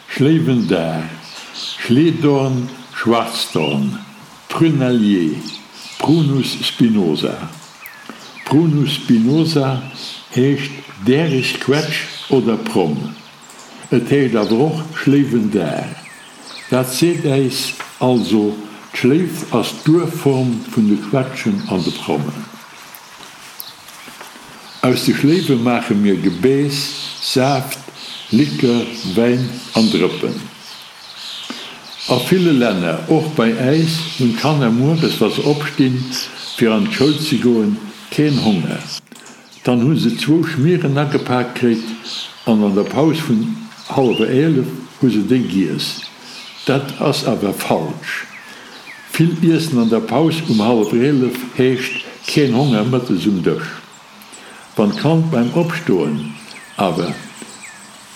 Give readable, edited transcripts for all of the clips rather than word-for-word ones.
Schléiwendar, Schleedorn, Schwarzdorn, Prunellier, Prunus spinosa. Prunus spinosa heescht däreg Quetsch oder Promm. Et heescht awer och Schléiwendar. Dat seet äis also, d'Schléif ass d'Urform vun de Quetschen an de Prommen. Aus de Schléiwe maache mir Gebääss, Saaft, Likör, Wäin an Drëppen. A ville Länner, och bei äis, hunn d'Kanner mueres, wa se opstinn, fir an d'Schoul ze goen, keen Honger. Dann hu se zwou Schmieren agepak kritt an an der Paus vun hallwer 11 hu se déi giess. Dat ass awer falsch. Vill iessen an der Paus um hallwer 11 heescht keen Honger mëttes um Dësch. Wann d'Kand beim Opstoen awer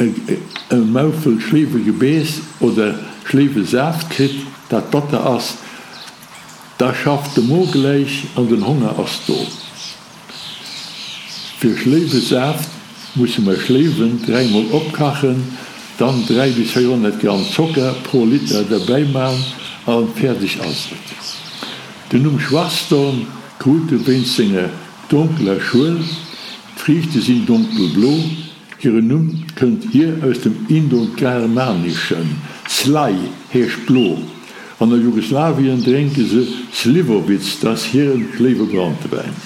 e Maufel Schléiwegebeess oder Schléiwesaaft kritt, dat batter ass, da schafft de Mo gläich an den Honger ass do. Fir Schléiwesaaft musse mer Schléiwen dräimol opkachen, dann 3 bis 400 Gramm Zocker pro Liter derbäi man an fäerdeg ass et. Den Numm Schwarzdorn krut e wéinst senger donkeler Schuel, d'Friichte sinn donkelblo. Hiren Numm kënnt hier aus dem Indogermaneschen, slai heescht blo. An der Jugoslawien drénke se Slivovitz, dat ass hiren Schléiwebrantewäin.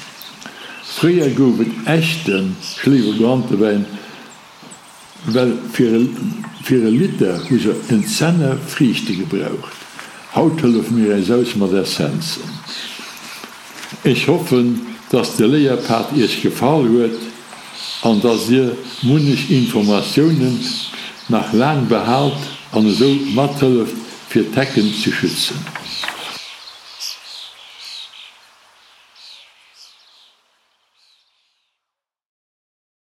Fréier gouf et echte Schléiwebrantewäin, well fir e Liter hu se en Zenner Friichte gebraucht. Haut hëllefe mir äis aus mat Essenzen. Ech hoffen, dass de Léierpad Iech gefall huet an dass Dir munnech Informatiounen nach laang behaalt an esou mathëlleft fir d'Hecken ze schützen.